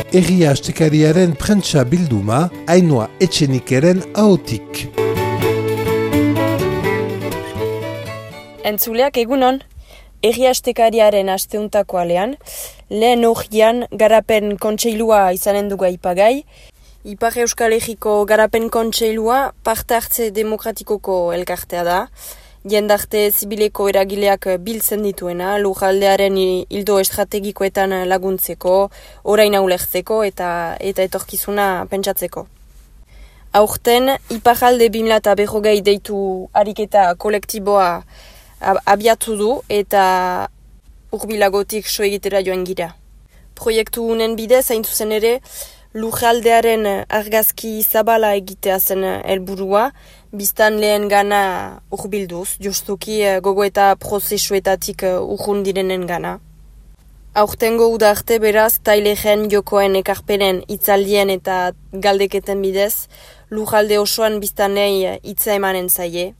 Egia Astekariaren prentsa bilduma, Ainhoa Etxenikeren ahotik. Entzuleak egunon, Egia Astekariaren asteuntako alean, lehen horian garapen kontseilua izanen dugu aipagai. Ipar Euskal Herriko garapen kontseilua parte hartze demokratikoko elkartea da. Jendarte zibileko eragileak biltzen dituena, lujaldearen ildo estrategikoetan laguntzeko, oraina ulertzeko eta etorkizuna pentsatzeko. Aurten, Iparralde 2040 deitu ariketa kolektiboa abiatu du eta urbilagotik so egitera joan gira. Proiektu unen bidez, hain zuzen ere, lujaldearen argazki zabala egitea zen helburua, biztan lehen gana urbilduz, justuki gogo eta prozesuetatik urrun direnen gana. Aurtengo uda arte beraz, tailegen jokoen ekarpenen itzaldien eta galdeketen bidez, lujalde osoan biztanei hitza emanen zaie.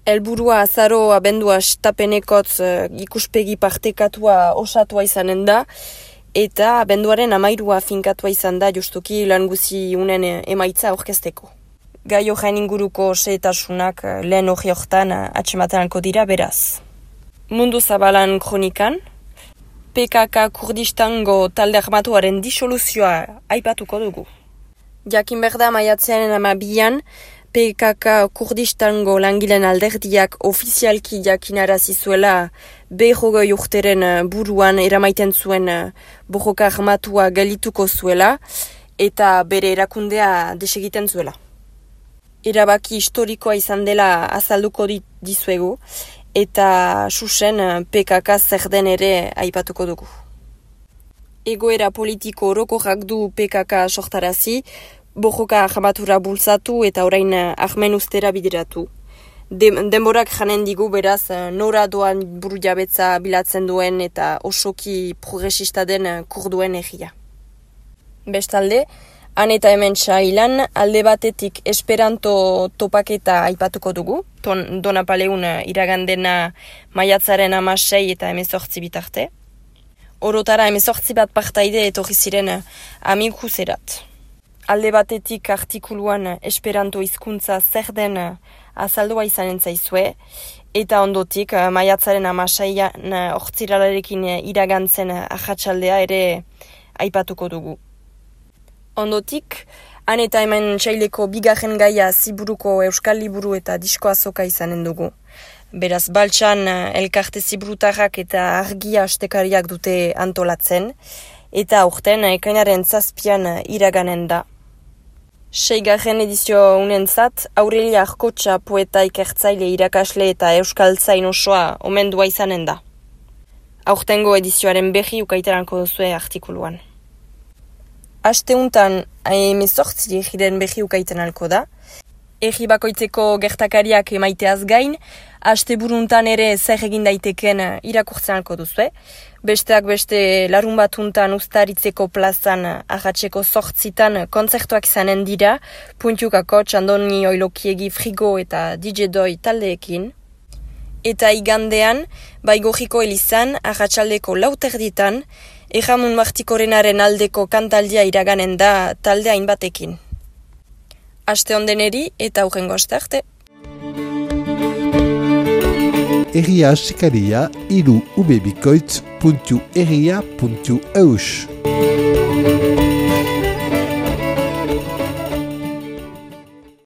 Helburua azaro abendua stapenekotz ikuspegi partekatua osatua izanen da, eta abenduaren 13 finkatua izan da justuki lan guzi unen emaitza aurkezteko. Gai horren inguruko xehetasunak lehen hori horretan atxematanako dira beraz. Mundu zabalan kronikan, PKK Kurdistango talde armatuaren disoluzioa aipatuko dugu. Jakin berda maiatzearen 12an, PKK Kurdistango langileen alderdiak ofizialki jakinarazi zuela 20 urteren buruan eramaiten zuen borroka armatua gelituko zuela eta bere erakundea desegiten zuela. Erabaki historikoa izan dela azalduko dizuegu eta susen PKK zer den ere aipatuko dugu. Egoera politiko orokorrak du PKK sortarazi, borroka armatura bultzatu eta orain armen ustera bideratu. Denborak janen digu beraz nora doan buru jabetza bilatzen duen eta osoki progresista den kurduen egia. Bestalde, han eta hemen sailan alde batetik esperanto topaketa aipatuko dugu, Donapaleun iragandena maiatzaren 16 eta 18 bitarte. Orotara 18 bat partaide etorri ziren amikuserat. Alde batetik artikuluan esperanto hizkuntza zer den azaldua izanen zaizue, eta ondotik maiatzaren 16an ortziralarekin iragantzen ahatsaldea ere aipatuko dugu. Ondotik, han eta hemen txaileko bigarren gaia ziburuko euskal liburu eta disko azoka izanen dugu. Beraz, baltsan elkarte ziburutarrak eta argia astekariak dute antolatzen, eta aurten ekainaren 7an iraganen da. 6. edizio unentzat, Aurelia Arkotxa poeta ikertzaile irakasle eta euskaltzain osoa omendua izanen da. Aurtengo edizioaren berri ukaiteranko duzue artikuluan. Asteuntan 18 egiren berri ukaitenalko da. Egi bakoitzeko gertakariak emaiteaz gain, asteburuntan ere zer egin daiteken irakurtzenalko duzue. Besteak beste larun batuntan Uztaritzeko plazan ahatseko 8 kontzertuak izanen dira, Puntiukako Txandoni Oilokiegi Frigo eta DJ Doi taldeekin. Eta igandean, Baigorriko elizan, ahatsaldeko 4:00 Erramun Martikorenaren aldeko kantaldia iraganen da talde hainbatekin. Aste ondeneri eta hurrengo aste arte. Egia Astekaria, 3ubebikoitz.egia.eus